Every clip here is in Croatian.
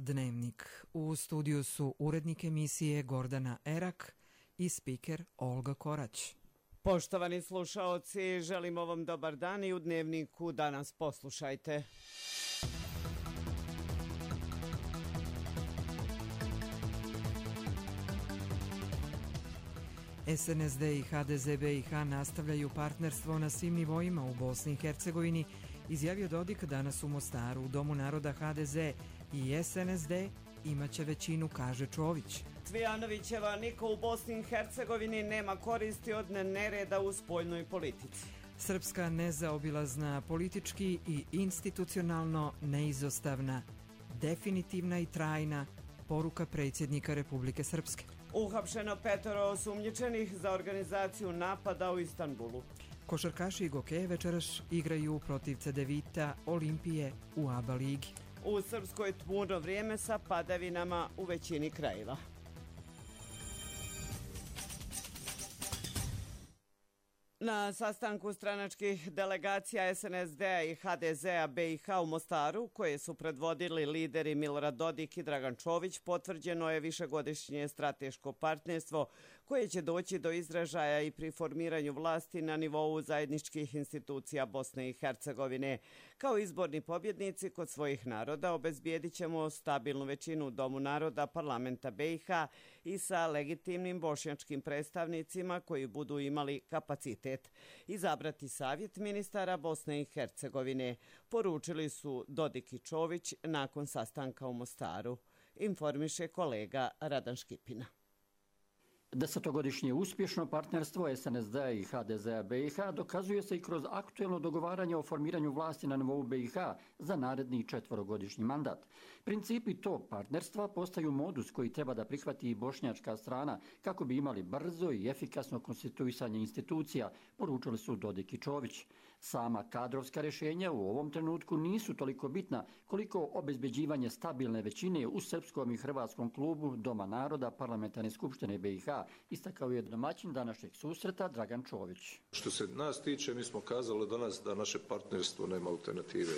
Dnevnik. U studiju su urednik emisije Gordana Erak i spiker Olga Korać. Poštovani slušaoci, želimo vam dobar dan i u Dnevniku danas poslušajte. SNSD i HDZ BiH nastavljaju partnerstvo na svim nivoima u Bosni i Hercegovini, izjavio Dodik danas u Mostaru. U Domu naroda HDZ i SNSD imaće većinu, kaže Čović. Cvijanovićeva niko u Bosni i Hercegovini nema koristi od nereda u spoljnoj politici. Srpska nezaobilazna, politički i institucionalno neizostavna, definitivna i trajna poruka predsjednika Republike Srpske. Uhapšeno 5 osumnjičenih za organizaciju napada u Istanbulu. Košarkaši i Gokeje večeras igraju protiv Cedevita Olimpije u ABA ligi. U Srpskoj tmurno vrijeme sa padavinama u većini krajeva. Na sastanku stranačkih delegacija SNSD-a i HDZ-a BiH u Mostaru, koje su predvodili lideri Milorad Dodik i Dragan Čović, potvrđeno je višegodišnje strateško partnerstvo koje će doći do izražaja i pri formiranju vlasti na nivou zajedničkih institucija Bosne i Hercegovine. Kao izborni pobjednici kod svojih naroda obezbijedit ćemo stabilnu većinu u Domu naroda parlamenta BiH i sa legitimnim bošnjačkim predstavnicima koji budu imali kapacitet izabrati savjet ministara Bosne i Hercegovine, poručili su Dodik i Čović nakon sastanka u Mostaru, informiše kolega Radan Škipina. Desetogodišnje uspješno partnerstvo SNSD-a i HDZ-a BiH dokazuje se i kroz aktuelno dogovaranje o formiranju vlasti na nivou BiH za naredni 4-godišnji mandat. Principi tog partnerstva postaju modus koji treba da prihvati i bošnjačka strana kako bi imali brzo i efikasno konstituisanje institucija, poručili su Dodik i Čović. Sama kadrovska rješenja u ovom trenutku nisu toliko bitna koliko obezbeđivanje stabilne većine u srpskom i hrvatskom klubu Doma naroda Parlamentarne skupštine BiH, istakao je domaćin današnjeg susreta Dragan Čović. Što se nas tiče, mi smo kazali danas da naše partnerstvo nema alternative.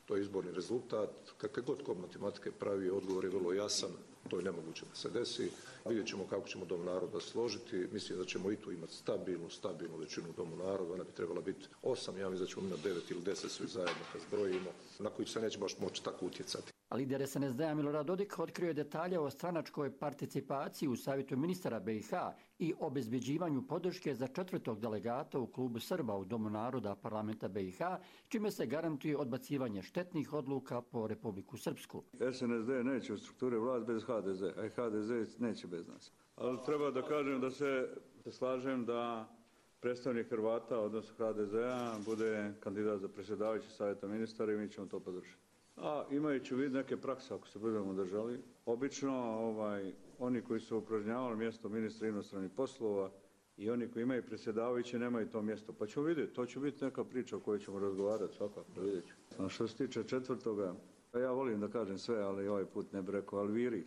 To je izborni rezultat. Kakve god ko matematike pravi, odgovor je vrlo jasan. To je nemoguće da se desi. Vidjet ćemo kako ćemo Dom naroda složiti. Mislim da ćemo i tu imati stabilnu većinu u Domu naroda. Ona bi trebala biti 8, ja mislim da ćemo imati 9 ili 10 svi zajedno kad zbrojimo, na koji se neće baš moći tako utjecati. Lider SNSD-a Milorad Dodik otkrio je detalje o stranačkoj participaciji u savjetu ministara BiH i obezbeđivanju podrške za 4. delegata u klubu Srba u Domu naroda parlamenta BiH, čime se garantuje odbacivanje štetnih odluka po Republiku Srpsku. SNSD neće u strukture vlast bez HDZ, a i HDZ neće bez nas. Ali treba da kažem da se slažem da predstavnik Hrvata, odnosno HDZ-a, bude kandidat za predsjedavajući savjeta ministara i mi ćemo to podržati. A imajući u vidu neke prakse, ako se budemo držali, obično oni koji su upražnjavali mjesto ministra inostranih poslova i oni koji imaju predsjedavajući nemaju to mjesto. Pa ćemo vidjeti, to će biti neka priča o kojoj ćemo razgovarati svakako, vidjet ću. A što se tiče 4. ja volim da kažem sve, ali ovaj put ne bi rekao Alviri.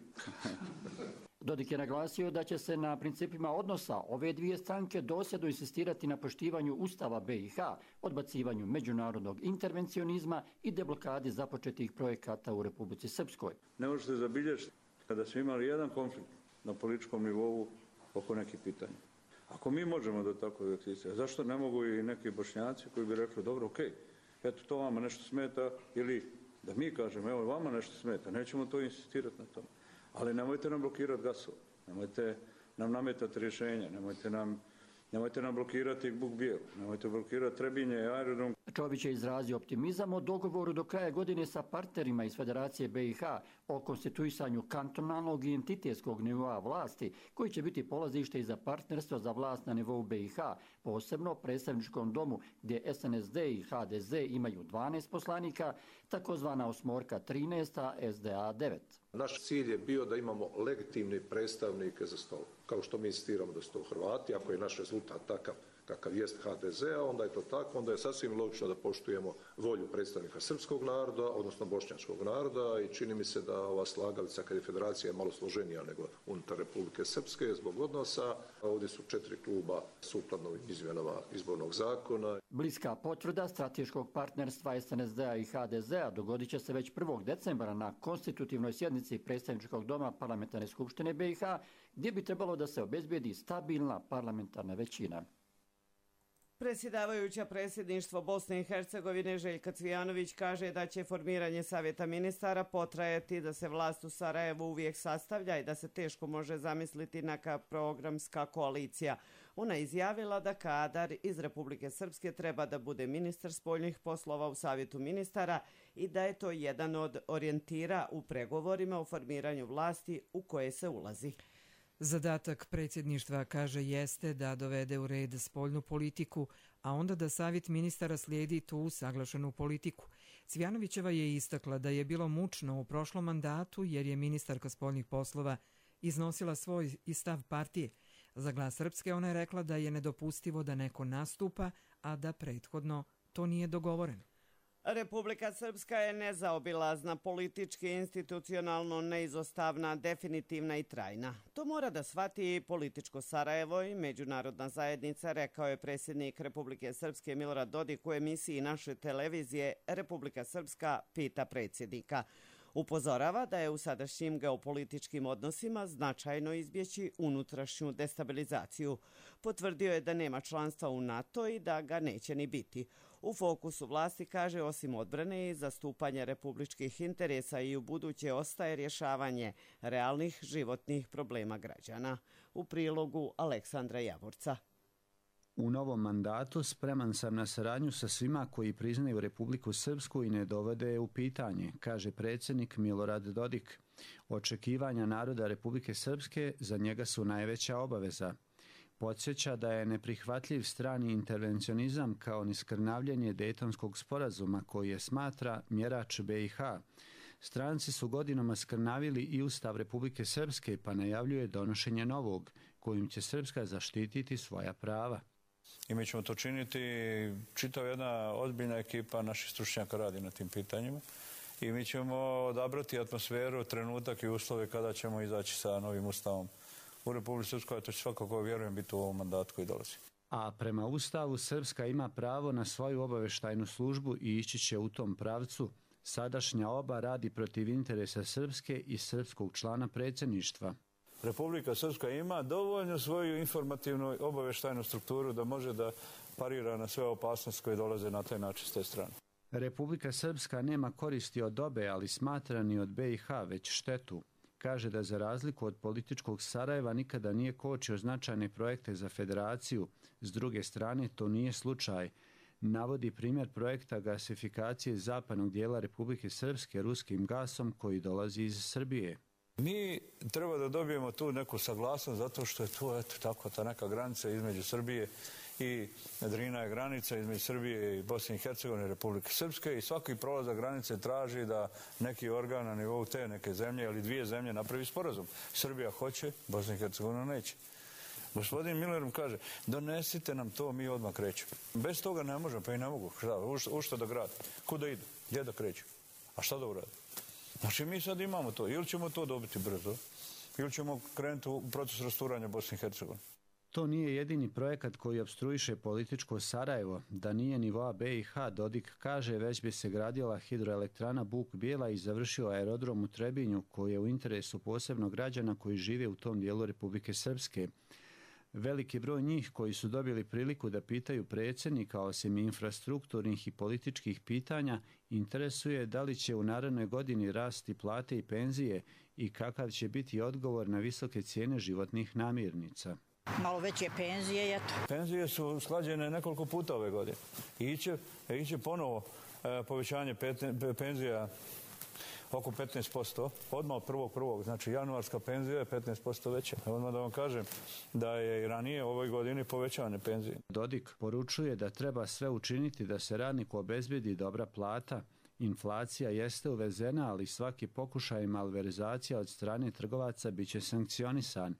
Dodik je naglasio da će se na principima odnosa ove dvije stranke dosljedno insistirati na poštivanju Ustava BiH, odbacivanju međunarodnog intervencionizma i deblokadi započetih projekata u Republici Srpskoj. Ne možete zabilježiti kada smo imali jedan konflikt na političkom nivou oko nekih pitanja. Ako mi možemo da tako eksistiramo, zašto ne mogu i neki Bošnjaci koji bi rekli dobro, okej, eto to vama nešto smeta, ili da mi kažemo evo vama nešto smeta, nećemo to insistirati na tome. Ali nemojte nam blokirati gasove, nemojte nam nametati rješenja, nemojte nam blokirati Buk Bijelu, nemojte blokirati Trebinje i aerodrom. Čović je izrazio optimizam o dogovoru do kraja godine sa partnerima iz Federacije BiH o konstituisanju kantonalnog i entitetskog nivoa vlasti, koji će biti polazište i za partnerstvo za vlast na nivou BiH, posebno predstavničkom domu gdje SNSD i HDZ imaju 12 poslanika, takozvana osmorka 13, a SDA 9. Naš cilj je bio da imamo legitimne predstavnike za stol. kao što mi insistiramo da su to Hrvati, ako je naš rezultat takav kakav jest HDZ-a, onda je to tako, onda je sasvim logično da poštujemo volju predstavnika srpskog naroda, odnosno bošnjačkog naroda i čini mi se da ova slagalica kad je federacija malo složenija nego unutar Republike Srpske zbog odnosa. Ovdje su 4 kluba sukladno izmjenama izbornog zakona. Bliska potvrda strateškog partnerstva SNSD-a i HDZ-a dogodit će se već 1. decembra na konstitutivnoj sjednici Predstavničkog doma Parlamentarne skupštine BiH, gdje bi trebalo da se obezbijedi stabilna parlamentarna većina. Predsjedavajuća predsjedništvo Bosne i Hercegovine Željka Cvijanović kaže da će formiranje savjeta ministara potrajati, da se vlast u Sarajevu uvijek sastavlja i da se teško može zamisliti neka programska koalicija. Ona je izjavila da kadar iz Republike Srpske treba da bude ministar spoljnih poslova u savjetu ministara i da je to jedan od orijentira u pregovorima o formiranju vlasti u koje se ulazi. Zadatak predsjedništva, kaže, jeste da dovede u red spoljnu politiku, a onda da savjet ministara slijedi tu usaglašenu politiku. Cvijanovićeva je istakla da je bilo mučno u prošlom mandatu jer je ministarka spoljnih poslova iznosila svoj i stav partije. Za Glas Srpske ona je rekla da je nedopustivo da neko nastupa, a da prethodno to nije dogovoreno. Republika Srpska je nezaobilazna, politički, institucionalno neizostavna, definitivna i trajna. To mora da shvati i političko Sarajevo i međunarodna zajednica, rekao je predsjednik Republike Srpske Milorad Dodik u emisiji naše televizije Republika Srpska pita predsjednika. Upozorava da je u sadašnjim geopolitičkim odnosima značajno izbjeći unutrašnju destabilizaciju. Potvrdio je da nema članstva u NATO i da ga neće ni biti. U fokusu vlasti, kaže, osim odbrane i zastupanja republičkih interesa i u buduće ostaje rješavanje realnih životnih problema građana. U prilogu Aleksandra Javorca. U novom mandatu spreman sam na saradnju sa svima koji priznaju Republiku Srpsku i ne dovode je u pitanje, kaže predsjednik Milorad Dodik. Očekivanja naroda Republike Srpske za njega su najveća obaveza. Podsjeća da je neprihvatljiv strani intervencionizam kao ni skrnavljenje Dejtonskog sporazuma koji je smatra mjerač BiH. Stranci su godinama skrnavili i Ustav Republike Srpske pa najavljuje donošenje novog, kojim će Srpska zaštititi svoja prava. I mi ćemo to činiti, čitav jedna ozbiljna ekipa naših stručnjaka radi na tim pitanjima i mi ćemo odabrati atmosferu, trenutak i uslove kada ćemo izaći sa novim ustavom u Republici Srpskoj, a to će svakako, vjerujem, biti u ovom mandatu koji dolazi. A prema Ustavu Srpska ima pravo na svoju obavještajnu službu i ići će u tom pravcu. Sadašnja oba radi protiv interesa Srpske i srpskog člana predsjedništva. Republika Srpska ima dovoljno svoju informativnu obavještajnu strukturu da može da parira na sve opasnosti koje dolaze na taj način s te strane. Republika Srpska nema koristi od obe, ali smatra ni od BiH, već štetu. Kaže da za razliku od političkog Sarajeva nikada nije kočio značajne projekte za federaciju. S druge strane, to nije slučaj. Navodi primjer projekta gasifikacije zapadnog dijela Republike Srpske ruskim gasom koji dolazi iz Srbije. Mi treba da dobijemo tu neku saglasnost zato što je tu tako ta neka granica između Srbije i Drina je granica između Srbije i Bosne i Hercegovine i Republike Srpske i svaki prolazak granice traži da neki organ na nivou te neke zemlje ili dvije zemlje napravi sporazum. Srbija hoće, Bosna i Hercegovina neće. Gospodin Miller kaže, donesite nam to, mi odmah krećemo. Bez toga ne možemo, pa i ne mogu. U što da grade? Kuda idu? Gdje da kreću? A šta da urade? Znači mi sad imamo to. Ili ćemo to dobiti brzo, ili ćemo krenuti u proces rasturanja Bosne i Hercegovine. To nije jedini projekat koji opstruiše političko Sarajevo. Da nije nivoa BiH, Dodik kaže, već bi se gradila hidroelektrana Buk Bijela i završio aerodrom u Trebinju, koji je u interesu posebno građana koji žive u tom dijelu Republike Srpske. Veliki broj njih koji su dobili priliku da pitaju predsjednika osim infrastrukturnih i političkih pitanja interesuje da li će u narednoj godini rasti plate i penzije i kakav će biti odgovor na visoke cijene životnih namirnica. Malo veće penzije, eto. Penzije su usklađene nekoliko puta ove godine. Iće ponovo povećanje penzija oko 15%, odmah od 1.1. Znači januarska penzija je 15% veća. Odmah da vam kažem da je i ranije u ovoj godini povećane penzije. Dodik poručuje da treba sve učiniti da se radniku obezbedi dobra plata. Inflacija jeste uvezena, ali svaki pokušaj malverzacija od strane trgovaca biće sankcionisan.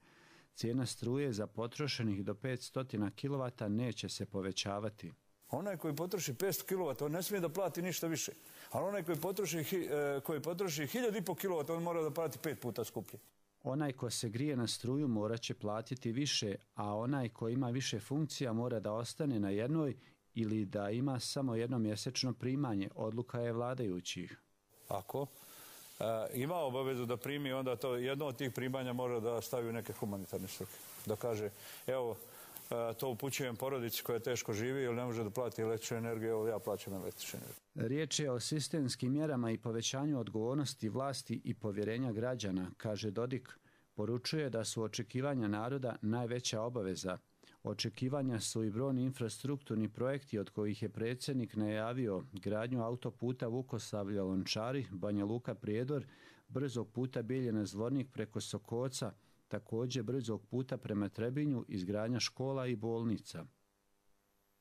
cijena struje za potrošenih do 500 kW neće se povećavati. Onaj koji potroši 500 kW, on ne smije da plati ništa više. Ali onaj koji potroši 1.500 kW, on mora da plati 5 puta skuplje. Onaj ko se grije na struju morat će platiti više, a onaj ko ima više funkcija mora da ostane na jednoj ili da ima samo jedno mjesečno primanje, odluka je vladajućih. Ako ima obavezu da primi, onda to jedno od tih primanja mora da stavi u neke humanitarne svrhe. Da kaže, evo, to upućujem porodici koja teško živi ili ne može da plati električnu energiju, evo ja plaćam električnu energiju. Riječ je o sistemskim mjerama i povećanju odgovornosti vlasti i povjerenja građana, kaže Dodik. Poručuje da su očekivanja naroda najveća obaveza. Očekivanja su i brojni infrastrukturni projekti od kojih je predsjednik najavio gradnju autoputa Vukosavlje-Lončari, Banja Luka-Prijedor, brzog puta Bijeljina-Zvornik preko Sokoca, također brzog puta prema Trebinju, izgradnja škola i bolnica.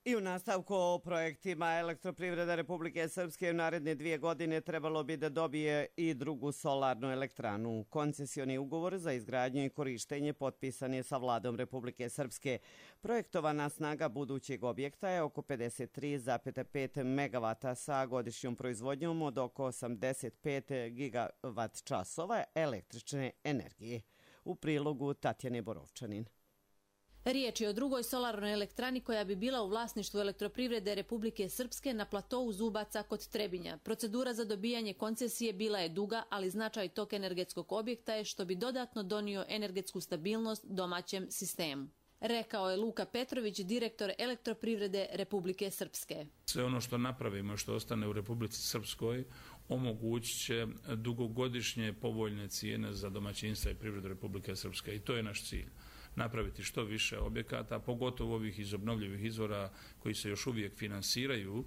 I u nastavku o projektima Elektroprivreda Republike Srpske u naredne 2 godine trebalo bi da dobije i drugu solarnu elektranu. Koncesioni ugovor za izgradnju i korištenje potpisan je sa vladom Republike Srpske. Projektovana snaga budućeg objekta je oko 53,5 MW sa godišnjom proizvodnjom od oko 85 GWh električne energije. U prilogu Tatjane Borovčanin. Riječ je o drugoj solarnoj elektrani koja bi bila u vlasništvu Elektroprivrede Republike Srpske na platovu Zubaca kod Trebinja. Procedura za dobijanje koncesije bila je duga, ali značaj tog energetskog objekta je što bi dodatno donio energetsku stabilnost domaćem sistemu. Rekao je Luka Petrović, direktor Elektroprivrede Republike Srpske. Sve ono što napravimo, što ostane u Republici Srpskoj, omogućit će dugogodišnje povoljne cijene za domaćinstva i privredu Republike Srpske i to je naš cilj. Napraviti što više objekata, pogotovo ovih iz obnovljivih izvora koji se još uvijek finansiraju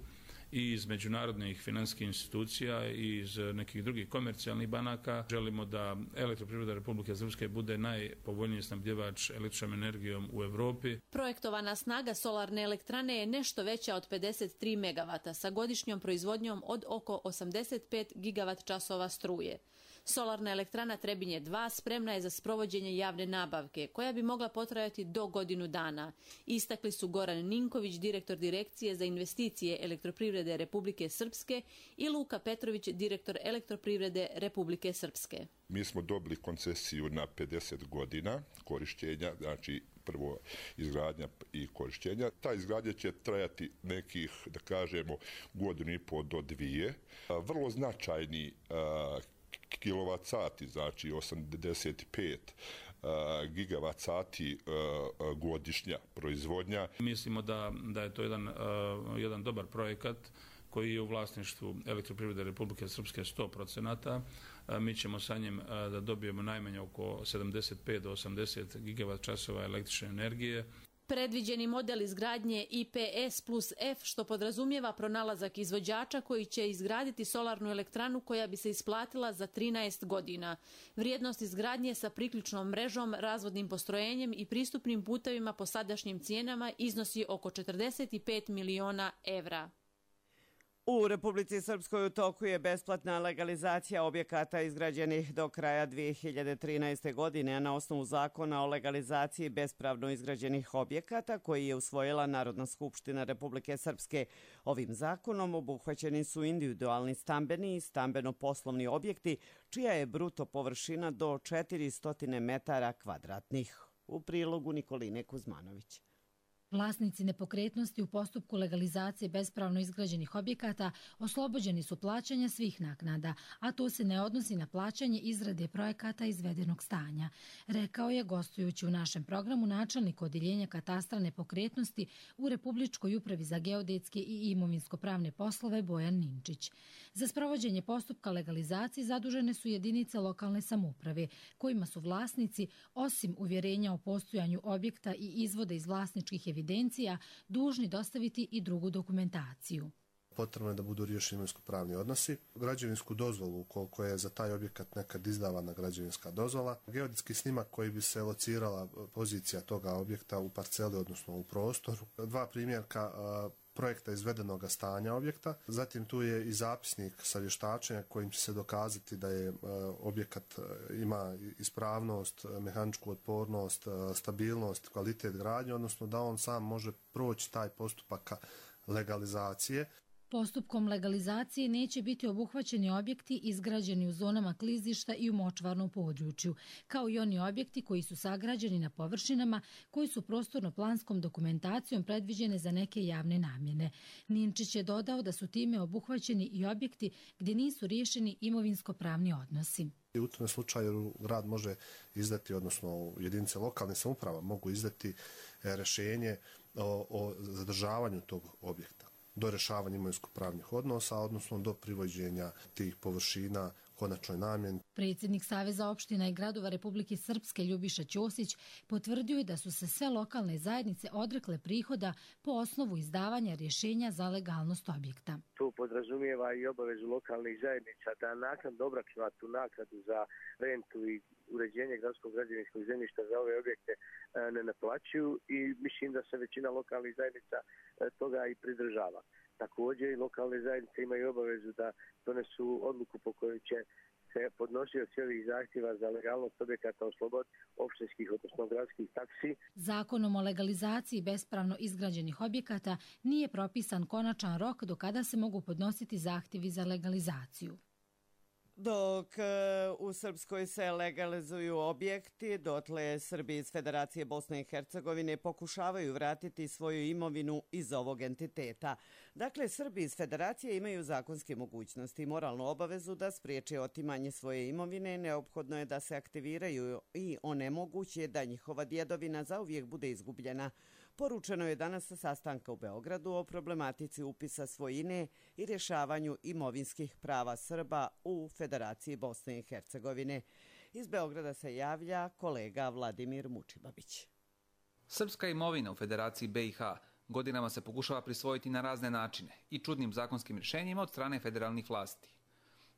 i iz međunarodnih financijskih institucija i iz nekih drugih komercijalnih banaka. Želimo da Elektroprivreda Republike Srpske bude najpovoljniji snabdjevač električnom energijom u Evropi. Projektovana snaga solarne elektrane je nešto veća od 53 MW sa godišnjom proizvodnjom od oko 85 GWh struje. Solarna elektrana Trebinje 2 spremna je za sprovođenje javne nabavke, koja bi mogla potrajati do godinu dana. Istakli su Goran Ninković, direktor Direkcije za investicije Elektroprivrede Republike Srpske i Luka Petrović, direktor Elektroprivrede Republike Srpske. Mi smo dobili koncesiju na 50 godina korištenja, znači prvo izgradnja i korištenja. Ta izgradnja će trajati nekih, da kažemo, 1,5 do 2. Vrlo značajni kilovat sati, znači 85 gigavat sati godišnja proizvodnja. Mislimo da je to jedan dobar projekat koji je u vlasništvu Elektroprivrede Republike Srpske 100%. Mi ćemo sa njim da dobijemo najmanje oko 75 do 80 GWh električne energije. Predviđeni model izgradnje IPS plus F, što podrazumijeva pronalazak izvođača koji će izgraditi solarnu elektranu koja bi se isplatila za 13 godina. Vrijednost izgradnje sa priključnom mrežom, razvodnim postrojenjem i pristupnim putevima po sadašnjim cijenama iznosi oko 45 miliona evra. U Republici Srpskoj u toku je besplatna legalizacija objekata izgrađenih do kraja 2013. godine, a na osnovu zakona o legalizaciji bespravno izgrađenih objekata koji je usvojila Narodna skupština Republike Srpske. Ovim zakonom obuhvaćeni su individualni stambeni i stambeno-poslovni objekti, čija je bruto površina do 400 metara kvadratnih. U prilogu Nikoline Kuzmanović. Vlasnici nepokretnosti u postupku legalizacije bespravno izgrađenih objekata oslobođeni su plaćanja svih naknada, a to se ne odnosi na plaćanje izrade projekata izvedenog stanja, rekao je gostujući u našem programu načelnik Odjeljenja katastra nepokretnosti u Republičkoj upravi za geodetske i imovinsko-pravne poslove Bojan Ninčić. Za sprovođenje postupka legalizacije zadužene su jedinice lokalne samouprave, kojima su vlasnici, osim uvjerenja o postojanju objekta i izvoda iz vlasničkih evidencija, dužni dostaviti i drugu dokumentaciju. Potrebno je da budu riješeni imovinsko-pravni odnosi, građevinsku dozvolu koliko je za taj objekat nekad izdavana građevinska dozvola, geodetski snimak koji bi se locirala pozicija toga objekta u parceli, odnosno u prostoru. Dva primjerka projekta izvedenog stanja objekta. Zatim tu je i zapisnik sa vještačenja kojim će se dokazati da je objekat ima ispravnost, mehaničku otpornost, stabilnost, kvalitet gradnje, odnosno da on sam može proći taj postupak legalizacije. Postupkom legalizacije neće biti obuhvaćeni objekti izgrađeni u zonama klizišta i u močvarnom području, kao i oni objekti koji su sagrađeni na površinama koji su prostorno-planskom dokumentacijom predviđene za neke javne namjene. Ninčić je dodao da su time obuhvaćeni i objekti gdje nisu riješeni imovinsko-pravni odnosi. U tom slučaju grad može izdati, odnosno jedinice lokalne samouprava mogu izdati rješenje o zadržavanju tog objekta do rješavanja imovinsko-pravnih odnosa, odnosno do privođenja tih površina konačnoj namjeni. Predsjednik Saveza opština i gradova Republike Srpske Ljubiša Ćosić potvrdio je da su se sve lokalne zajednice odrekle prihoda po osnovu izdavanja rješenja za legalnost objekta. To podrazumijeva i obavezu lokalnih zajednica da naknadno obračuna tu naknadu za rentu i uređenje gradskog građevinskog zemljišta za ove objekte ne naplaćuju i mislim da se većina lokalnih zajednica toga i pridržava. Također i lokalne zajednice imaju obavezu da donesu odluku po kojoj će se podnosioci ovih zahtjeva za legalnost objekata osloboditi opštinskih, odnosno gradskih taksi. Zakonom o legalizaciji bespravno izgrađenih objekata nije propisan konačan rok do kada se mogu podnositi zahtjevi za legalizaciju. Dok u Srpskoj se legalizuju objekti, dotle Srbi iz Federacije Bosne i Hercegovine pokušavaju vratiti svoju imovinu iz ovog entiteta. Dakle, Srbi iz Federacije imaju zakonske mogućnosti i moralnu obavezu da spriječe otimanje svoje imovine. Neophodno je da se aktiviraju i onemoguće da njihova djedovina zauvijek bude izgubljena. Poručeno je danas sa sastanka u Beogradu o problematici upisa svojine i rješavanju imovinskih prava Srba u Federaciji Bosne i Hercegovine. Iz Beograda se javlja kolega Vladimir Mučibabić. Srpska imovina u Federaciji BiH godinama se pokušava prisvojiti na razne načine i čudnim zakonskim rješenjima od strane federalnih vlasti.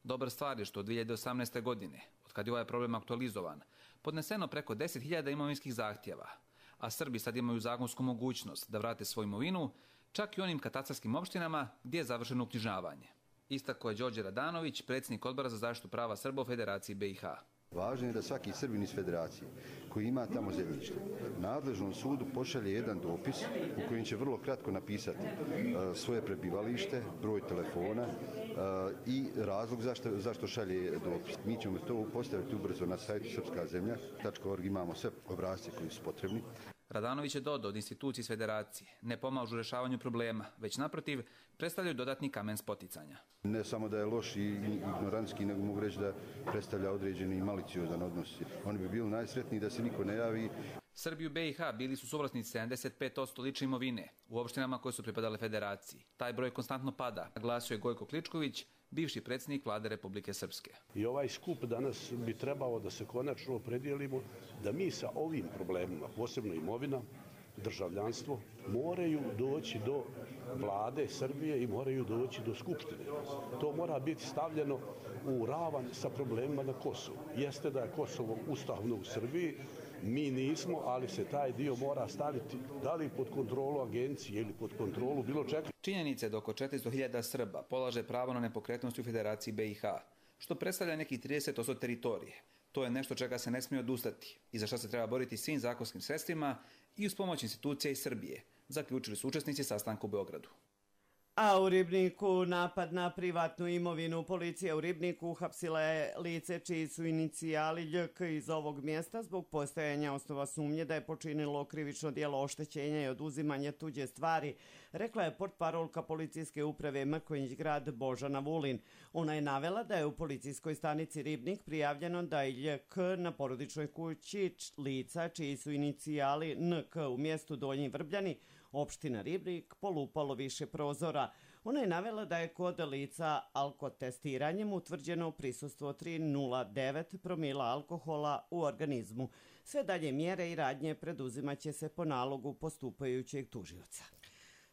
Dobra stvar je što od 2018. godine, od kad je ovaj problem aktualizovan, podneseno preko 10.000 imovinskih zahtjeva, a Srbi sad imaju zakonsku mogućnost da vrate svoju imovinu, čak i onim katastarskim opštinama gdje je završeno uknjižavanje. Istako je Đorđe Radanović, predsjednik Odbora za zaštitu prava Srba u Federaciji BiH. Važno je da svaki Srbin iz Federacije koji ima tamo zemljište nadležnom sudu pošalje jedan dopis u kojem će vrlo kratko napisati svoje prebivalište, broj telefona i razlog zašto šalje dopis. Mi ćemo to postaviti ubrzo na sajtu srpskazemlja.org, imamo sve obrasce koji su potrebni. Radanović je dodao od institucije iz Federacije ne pomažu u rješavanju problema, već naprotiv predstavljaju dodatni kamen spoticanja. Ne samo da je loš i ignorantski, nego mogu reći da predstavlja određeni maliciozan odnos. Oni bi bili najsretniji da se niko ne javi. Srbi u BiH bili su suvlasnici 75% lične imovine u opštinama koje su pripadale Federaciji. Taj broj konstantno pada, naglasio je Gojko Kličković, bivši predsjednik Vlade Republike Srpske. I ovaj skup danas bi trebao da se konačno opredijelimo da mi sa ovim problemima, posebno imovina, državljanstvo, moraju doći do Vlade Srbije i moraju doći do Skupštine. To mora biti stavljeno u ravan sa problemima na Kosovu. Jeste da je Kosovo ustavno u Srbiji, mi nismo, ali se taj dio mora staviti da li pod kontrolu agencije ili pod kontrolu bilo čega. Činjenica je da oko 400.000 Srba polaže pravo na nepokretnosti u Federaciji BiH, što predstavlja nekih 30% teritorije. To je nešto čega se ne smije odustati i za što se treba boriti svim zakonskim sredstvima i uz pomoć institucija iz Srbije, zaključili su učesnici sastanka u Beogradu. A u Ribniku napad na privatnu imovinu. Policija u Ribniku uhapsila je lice čiji su inicijali LJK iz ovog mjesta zbog postojanja osnova sumnje da je počinilo krivično djelo oštećenja i oduzimanja tuđe stvari, rekla je portparolka policijske uprave Mrkonjić grad Božana Vulin. Ona je navela da je u policijskoj stanici Ribnik prijavljeno da je LJK na porodičnoj kući lica čiji su inicijali NK u mjestu Donji Vrbljani, opština Ribnik, polupalo više prozora. Ona je navela da je kod lica alkotestiranjem utvrđeno prisustvo 3,09 promila alkohola u organizmu. Sve dalje mjere i radnje preduzimaće se po nalogu postupajućeg tužioca.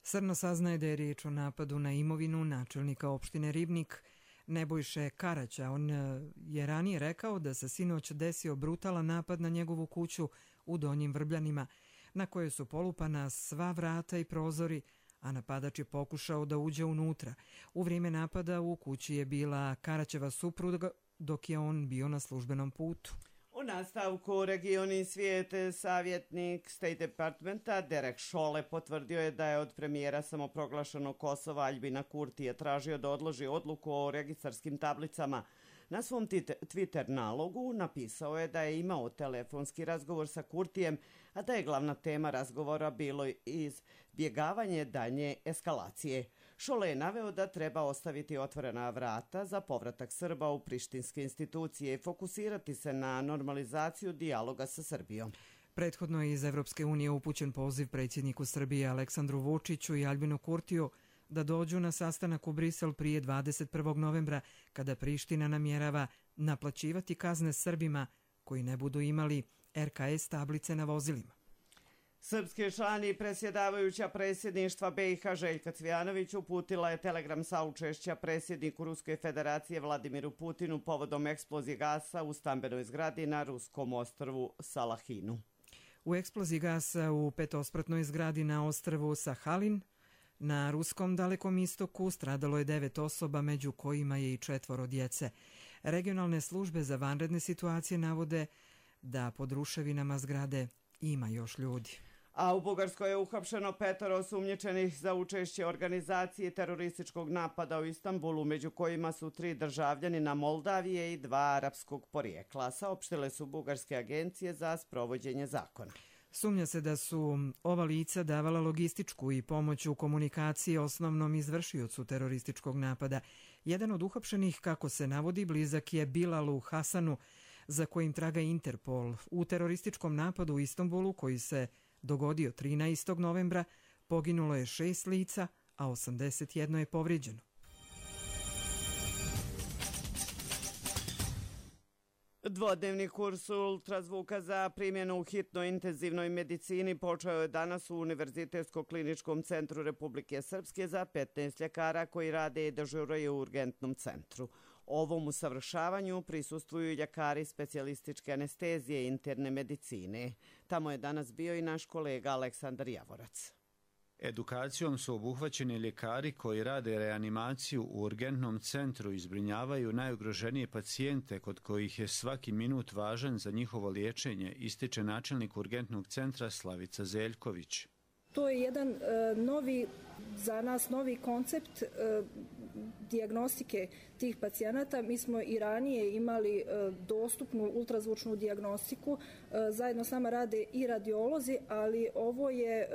Srno saznaje da je riječ o napadu na imovinu načelnika opštine Ribnik, Nebojše Karaća. On je ranije rekao da se sinoć desio brutalan napad na njegovu kuću u Donjim Vrbljanima, na kojoj su polupana sva vrata i prozori, a napadač je pokušao da uđe unutra. U vrijeme napada u kući je bila Karaćeva supruga, dok je on bio na službenom putu. U nastavku regioni svijete savjetnik State Departmenta Derek Chollet potvrdio je da je od premijera samoproglašenog Kosova Aljbina Kurtija tražio da odloži odluku o registarskim tablicama. Na svom Twitter nalogu napisao je da je imao telefonski razgovor sa Kurtijem, a da je glavna tema razgovora bilo izbjegavanje daljnje eskalacije. Chollet je naveo da treba ostaviti otvorena vrata za povratak Srba u prištinske institucije i fokusirati se na normalizaciju dijaloga sa Srbijom. Prethodno je iz Evropske unije upućen poziv predsjedniku Srbije Aleksandru Vučiću i Aljbinu Kurtiju da dođu na sastanak u Brisel prije 21. novembra, kada Priština namjerava naplaćivati kazne Srbima koji ne budu imali RKS tablice na vozilima. Srpski član i predsjedavajuća predsjedništva BiH Željka Cvijanović uputila je telegram saučešća predsjedniku Ruske federacije Vladimiru Putinu povodom eksplozije gasa u stambenoj zgradi na ruskom ostrvu Salahinu. U eksploziji gasa u petospratnoj zgradi na ostrvu Sahalin na ruskom Dalekom istoku stradalo je 9 osoba, među kojima je i 4 djece. Regionalne službe za vanredne situacije navode da pod ruševinama zgrade ima još ljudi. A u Bugarskoj je uhapšeno 5 osumnjičenih za učešće organizacije terorističkog napada u Istanbulu, među kojima su 3 državljanina Moldavije i 2 arapskog porijekla, saopštile su bugarske agencije za sprovođenje zakona. Sumnja se da su ova lica davala logističku i pomoć u komunikaciji osnovnom izvršiocu terorističkog napada. Jedan od uhapšenih, kako se navodi, blizak je Bilalu Hasanu, za kojim traga Interpol. U terorističkom napadu u Istanbulu, koji se dogodio 13. novembra, poginulo je 6 lica, a 81 je povrijeđeno. Dvodnevni kurs ultrazvuka za primjenu u hitnoj intenzivnoj medicini počeo je danas u Univerzitetsko-kliničkom centru Republike Srpske za 15 ljekara koji rade i dežuraju u urgentnom centru. Ovom usavršavanju prisustvuju ljekari specijalističke anestezije i interne medicine. Tamo je danas bio i naš kolega Aleksandar Javorac. Edukacijom su obuhvaćeni ljekari koji rade reanimaciju u urgentnom centru i zbrinjavaju najugroženije pacijente kod kojih je svaki minut važan za njihovo liječenje, ističe načelnik urgentnog centra Slavica Zeljković. To je jedan za nas novi koncept dijagnostike tih pacijenata. Mi smo i ranije imali dostupnu ultrazvučnu dijagnostiku. Zajedno s nama rade i radiolozi, ali ovo je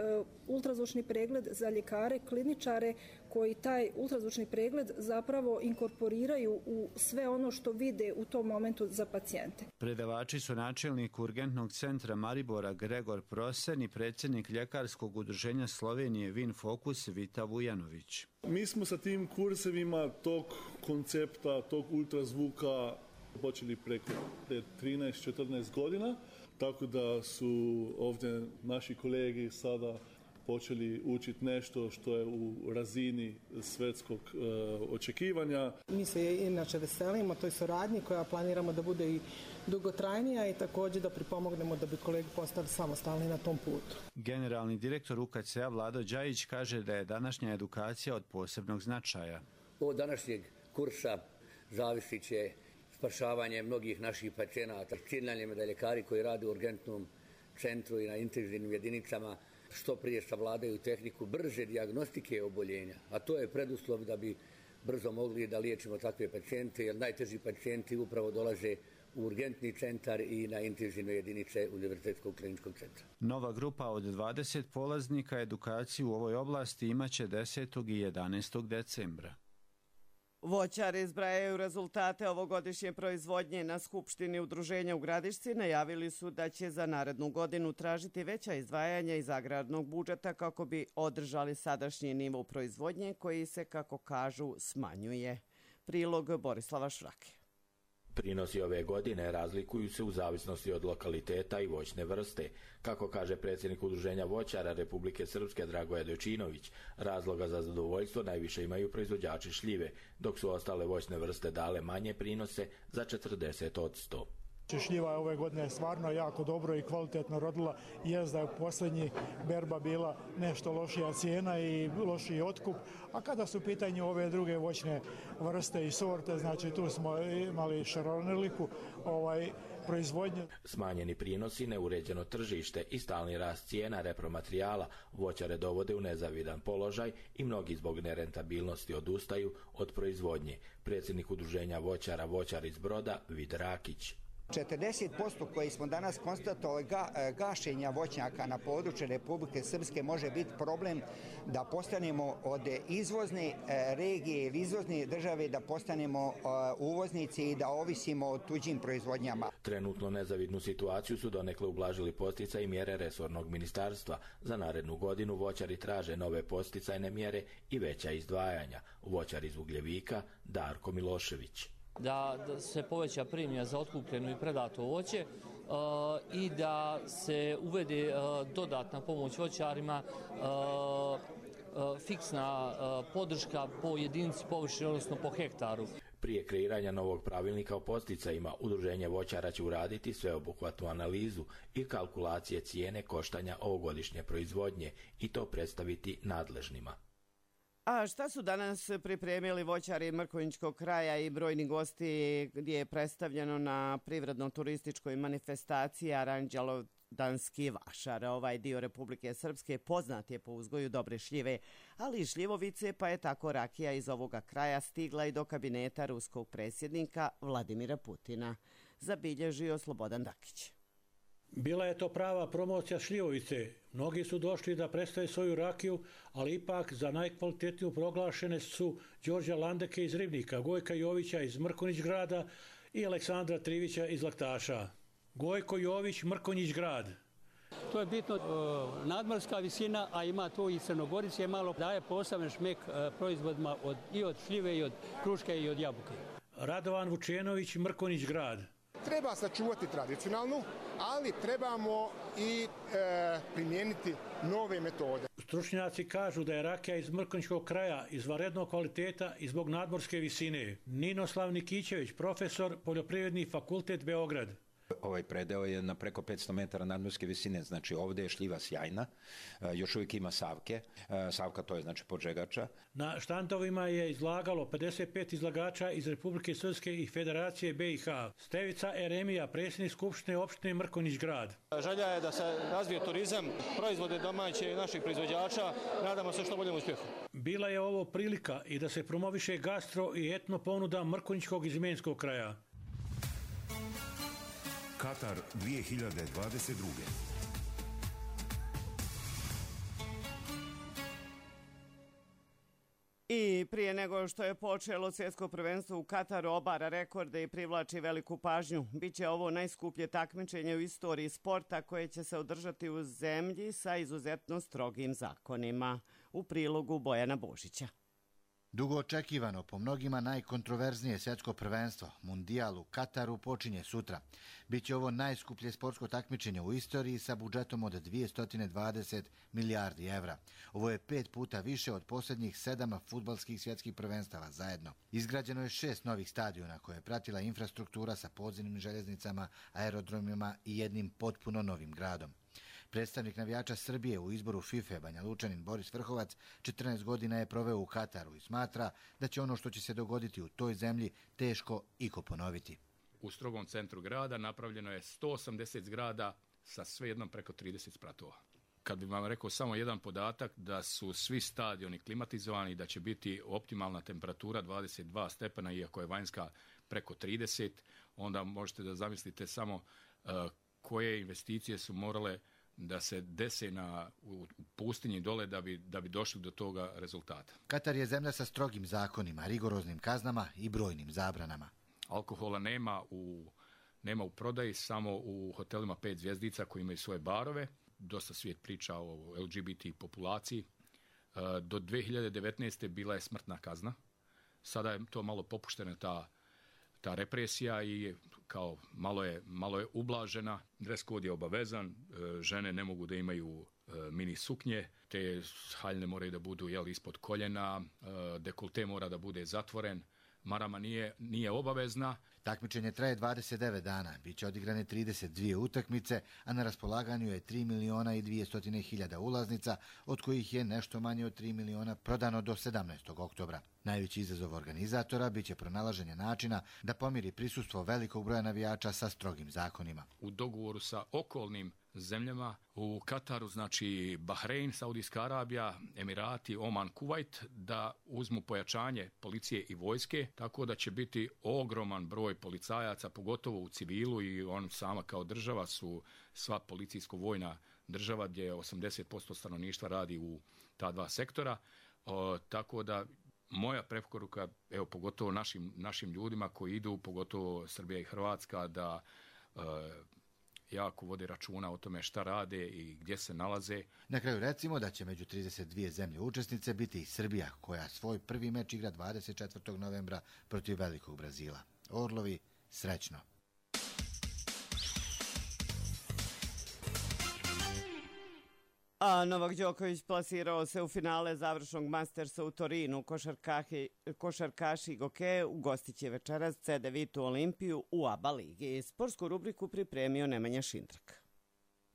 ultrazvučni pregled za ljekare, kliničare koji taj ultrazvučni pregled zapravo inkorporiraju u sve ono što vide u tom momentu za pacijente. Predavači su načelnik urgentnog centra Maribora Gregor Prosen i predsjednik ljekarskog udruženja Slovenije Vin Fokus Vita Vujanović. Mi smo sa tim kursevima tog koncepta, tog ultrazvuka počeli preko 13-14 godina, tako da su ovdje naši kolegi sada počeli učiti nešto što je u razini svjetskog očekivanja. Mi se inače veselimo toj suradnji koja planiramo da bude i dugotrajnija i također da pripomognemo da bi kolegi postali samostalni na tom putu. Generalni direktor UKC-a Vlado Đajić kaže da je današnja edukacija od posebnog značaja. Od današnjeg kursa zavisit će spašavanje mnogih naših pacijenata. Cilj nam je da ljekari koji rade u urgentnom centru i na intenzivnim jedinicama što prije savladaju tehniku brže dijagnostike oboljenja, a to je preduslov da bi brzo mogli da liječimo takve pacijente, jer najteži pacijenti upravo dolaze u urgentni centar i na intenzivne jedinice Univerzitetskog kliničkog centra. Nova grupa od 20 polaznika edukaciju u ovoj oblasti imaće 10. i 11. decembra. Voćari zbrajaju rezultate ovogodišnje proizvodnje. Na Skupštini udruženja u Gradišci najavili su da će za narednu godinu tražiti veća izdvajanja iz agrarnog budžeta kako bi održali sadašnji nivo proizvodnje koji se, kako kažu, smanjuje. Prilog Borislava Švrake. Prinosi ove godine razlikuju se u zavisnosti od lokaliteta i voćne vrste. Kako kaže predsjednik udruženja voćara Republike Srpske Dragoje Dojčinović, razloga za zadovoljstvo najviše imaju proizvođači šljive, dok su ostale voćne vrste dale manje prinose za 40%. Šljiva je ove godine stvarno jako dobro i kvalitetno rodila. Jest da je u posljednji berba bila nešto lošija cijena i lošiji otkup, a kada su u pitanju ove druge voćne vrste i sorte, znači tu smo imali šaronoliku proizvodnje. Smanjeni prinosi, neuređeno tržište i stalni rast cijena repromaterijala voćare dovode u nezavidan položaj i mnogi zbog nerentabilnosti odustaju od proizvodnje. Predsjednik udruženja voćara Voćar iz Broda, Vid Rakić. 40% koji smo danas konstatovali gašenja voćnjaka na području Republike Srpske može biti problem da postanemo od izvozne regije ili izvozne države da postanemo uvoznici i da ovisimo o tuđim proizvodnjama. Trenutno nezavidnu situaciju su donekle ublažili posticaji i mjere resornog ministarstva. Za narednu godinu voćari traže nove posticajne mjere i veća izdvajanja. Voćar iz Ugljevika, Darko Milošević. Da se poveća premija za otkupljeno i predato voće i da se uvede dodatna pomoć voćarima, fiksna podrška po jedinici površine, odnosno po hektaru. Prije kreiranja novog pravilnika o posticajima, Udruženje voćara će uraditi sveobuhvatnu analizu i kalkulacije cijene koštanja ovogodišnje proizvodnje i to predstaviti nadležnima. A šta su danas pripremili voćari Mrkonjićkog kraja i brojni gosti gdje je predstavljeno na privredno-turističkoj manifestaciji Aranđelodanski vašar? Ovaj dio Republike Srpske poznat je po uzgoju dobre šljive, ali i šljivovice, pa je tako rakija iz ovoga kraja stigla i do kabineta ruskog predsjednika Vladimira Putina, zabilježio Slobodan Dakić. Bila je to prava promocija šljivovice. Mnogi su došli da predstave svoju rakiju, ali ipak za najkvalitetniju proglašene su Đorđa Landeke iz Ribnika, Gojka Jovića iz Mrkonjić grada i Aleksandra Trivića iz Laktaša. Gojko Jović, Mrkonjić grad. To je bitno nadmorska visina, a ima tu i Crnogorice, malo daje poseban šmek proizvodima i od šljive, i od kruške, i od jabuke. Radovan Vučenović, Mrkonjić grad. Treba sačuvati tradicionalnu, ali trebamo i primijeniti nove metode. Stručnjaci kažu da je rakija iz Mrkonjićkog kraja izvanrednog kvaliteta i zbog nadmorske visine. Ninoslav Nikićević, profesor, Poljoprivredni fakultet Beograd. Ovaj predeo je na preko 500 metara nadmorske visine, znači ovdje je šljiva sjajna, još uvijek ima savke, savka to je znači podžegača. Na štandovima je izlagalo 55 izlagača iz Republike Srpske i Federacije BiH. Stevica Eremija, predsjednik Skupštine opštine Mrkonjić grad. Želja je da se razvije turizam, proizvode domaće naših proizvođača, nadamo se što boljem uspjehu. Bila je ovo prilika i da se promoviše gastro i etno ponuda Mrkonjićkog i Zmenskog kraja. Katar 2022. I prije nego što je počelo svjetsko prvenstvo u Kataru obara rekorde i privlači veliku pažnju. Biće ovo najskuplje takmičenje u istoriji sporta koje će se održati u zemlji sa izuzetno strogim zakonima. U prilogu Bojana Božića. Dugo očekivano, po mnogima najkontroverznije svjetsko prvenstvo, Mundijal u Kataru, počinje sutra. Biće ovo najskuplje sportsko takmičenje u istoriji sa budžetom od 220 milijardi evra. Ovo je 5 puta više od posljednjih 7 fudbalskih svjetskih prvenstava zajedno. Izgrađeno je 6 novih stadiona koje je pratila infrastruktura sa podzemnim željeznicama, aerodromima i jednim potpuno novim gradom. Predstavnik navijača Srbije u izboru FIFA Banja Lučanin Boris Vrhovac 14 godina je proveo u Kataru i smatra da će ono što će se dogoditi u toj zemlji teško iko ponoviti. U strogom centru grada napravljeno je 180 zgrada sa svejednom preko 30 spratova. Kad bih vam rekao samo jedan podatak da su svi stadioni klimatizovani, da će biti optimalna temperatura 22 stepena, iako je vanjska preko 30, onda možete da zamislite samo koje investicije su morale da se dese u pustinji dole da bi došli do toga rezultata. Katar je zemlja sa strogim zakonima, rigoroznim kaznama i brojnim zabranama. Alkohola nema u prodaji, samo u hotelima 5 zvjezdica koji imaju svoje barove. Dosta svijet priča o LGBT populaciji. Do 2019. bila je smrtna kazna. Sada je to malo popuštena ta represija i kao malo je ublažena. Dres kod je obavezan, žene ne mogu da imaju mini suknje, te haljne moraju da budu ispod koljena, dekolte mora da bude zatvoren, marama nije obavezna. Takmičenje traje 29 dana, bit će odigrane 32 utakmice, a na raspolaganju je 3.200.000 ulaznica, od kojih je nešto manje od 3 miliona prodano do 17. oktobra. Najveći izazov organizatora biće pronalaženje načina da pomiri prisustvo velikog broja navijača sa strogim zakonima. U dogovoru sa okolnim zemljama, u Kataru, znači Bahrein, Saudijska Arabija, Emirati, Oman, Kuvajt, da uzmu pojačanje policije i vojske, tako da će biti ogroman broj policajaca, pogotovo u civilu, i on sama kao država su sva policijsko-vojna država gdje 80% stanovništva radi u ta dva sektora, tako da moja preporuka, evo pogotovo našim ljudima koji idu, pogotovo Srbija i Hrvatska, da jako vode računa o tome šta rade i gdje se nalaze. Na kraju recimo da će među 32 zemlje učesnice biti i Srbija, koja svoj prvi meč igra 24. novembra protiv Velikog Brazila. Orlovi, srećno! A Novak Đoković plasirao se u finale završnog Mastersa u Torinu. Košarkaši Goke ugostit će večeras CD Vitu Olimpiju u ABA ligi. Sportsku rubriku pripremio Nemanja Šindrak.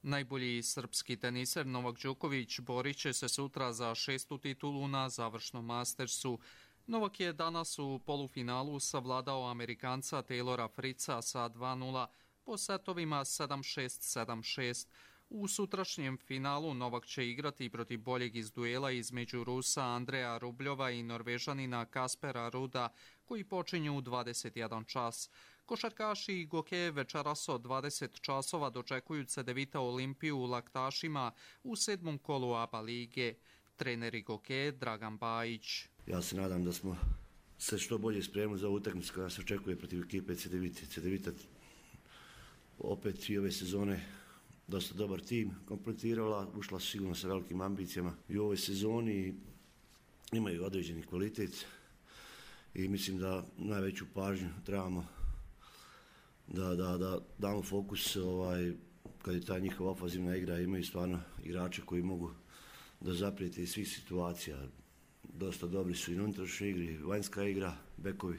Najbolji srpski teniser Novak Đoković borit će se sutra za 6. titulu na završnom Mastersu. Novak je danas u polufinalu savladao Amerikanca Taylora Fritza sa 2-0 po setovima 7-6, 7-6. U sutrašnjem finalu Novak će igrati protiv boljeg iz duela između Rusa Andreja Rubljova i Norvežanina Kaspera Ruda, koji počinju u 21 čas. Košarkaši Goke večeras od 20 časova dočekuju Cedevita Olimpiju u Laktašima u 7. kolu ABA lige. Treneri Goke Dragan Bajić. Ja se nadam da smo se što bolje spremili za utakmicu koja se očekuje protiv ekipe Cedevite. Cedevita opet i ove sezone dosta dobar tim kompletirala, ušla su sigurno sa velikim ambicijama i u ovoj sezoni imaju određeni kvalitet i mislim da najveću pažnju trebamo da damo fokus kad je ta njihova ofanzivna igra, imaju stvarno igrače koji mogu da zaprijete iz svih situacija. Dosta dobri su i na unutrašnjoj igri, vanjska igra, bekovi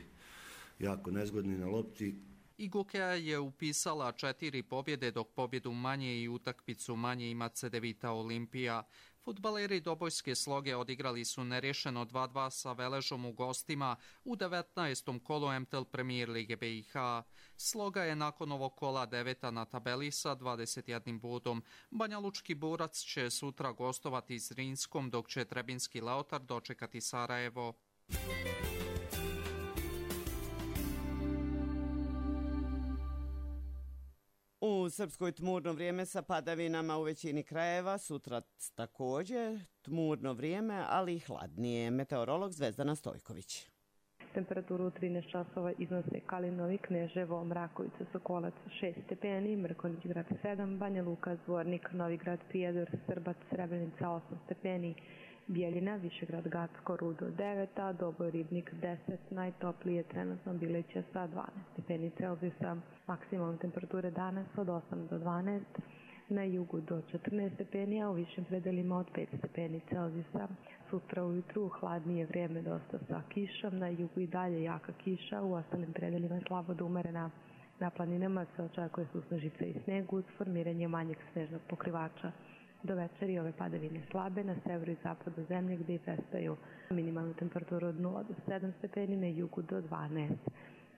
jako nezgodni na lopti. I Gokea je upisala 4 pobjede, dok pobjedu manje i utakmicu manje ima Cedevita Olimpija. Fudbaleri Dobojske Sloge odigrali su nerješeno 2-2 sa Veležom u gostima u 19. kolu MTL Premier Lige BiH. Sloga je nakon ovog kola 9. na tabeli sa 21 bodom. Banjalučki Borac će sutra gostovati s Rinskom, dok će Trebinski Leotar dočekati Sarajevo. U Srpskoj tmurno vrijeme sa padavinama u većini krajeva, sutra također tmurno vrijeme, ali i hladnije. Meteorolog Zvezdana Stojković. Temperaturu u 13 časova iznose Kalinovi, Kneževo, Mrakovica, Sokolac 6 stepeni, Mrkonjić grad 7, Banja Luka, Zvornik, Novigrad, Prijedor, Srbac, Srebrenica 8 stepeni, Bijeljina, Višegrad, Gacko, Rudo 9, a Doboj, Ribnik 10, najtoplije trenutno Bileća sa 12 stepeni Celzijusa. Maksimalne temperature danas od 8 do 12, na jugu do 14 stepeni, a u višim predelima od 5 stepeni Celzijusa. Sutra ujutru hladnije vrijeme dosta sa kišom, na jugu i dalje jaka kiša, u ostalim predelima slabo do umerena. Na planinama se očekuje susnežica i sneg uz formiranje manjeg snežnog pokrivača. Do večeri ove padavine slabe na severu i zapadu zemlje gdje prestaju. Minimalnu temperaturu od 0 do 7 stepeni, na jugu do 12,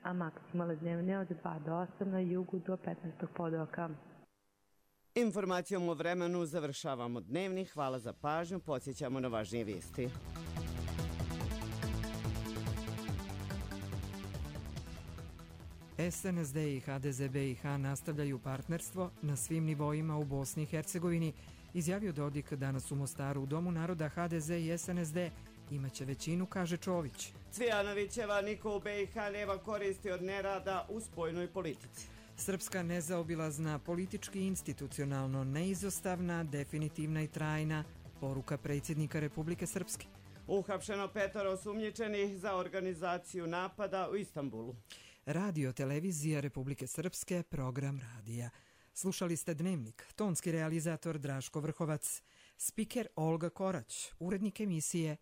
a maksimalne dnevne od 2 do 8, na jugu do 15. podoka. Informacijom o vremenu završavamo dnevni. Hvala za pažnju. Podsjećamo na važnije vijesti. SNSD i HDZ BiH nastavljaju partnerstvo na svim nivoima u Bosni i Hercegovini, izjavio Dodik danas u Mostaru. U Domu naroda HDZ i SNSD imaće većinu, kaže Čović. Cvijanovićeva niko u BiH nema koristi od nerada u spoljnoj politici. Srpska nezaobilazna, politički i institucionalno neizostavna, definitivna i trajna, poruka predsjednika Republike Srpske. Uhapšeno 5 osumnjičenih za organizaciju napada u Istanbulu. Radio Televizija Republike Srpske, program radija. Slušali ste Dnevnik, tonski realizator Draško Vrhovac, spiker Olga Korać, urednik emisije